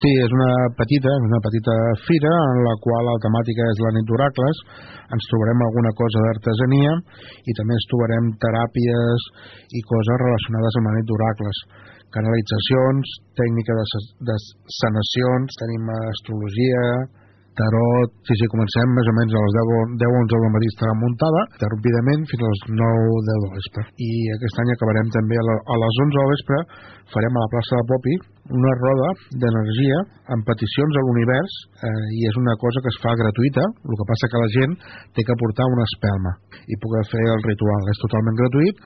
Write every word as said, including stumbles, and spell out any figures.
Sí, és una petita, una petita fira en la qual la temàtica és la nit d'oracles. Ens trobarem alguna cosa d'artesania i també ens trobarem teràpies i coses relacionades amb la nit d'oracles. Canalitzacions, tècnica de, de sanacions, tenim astrologia, tarot. Sí, sí, comencem més o menys a les deu onze del matí estarà muntada, interrompidament fins a les nou deu del vespre. I aquest any acabarem també a, la, a les onze del vespre, farem a la plaça de Popi una roda d'energia amb peticions a l'univers, eh, i és una cosa que es fa gratuïta. El que passa que la gent té que portar una espelma i poder fer el ritual. És totalment gratuït.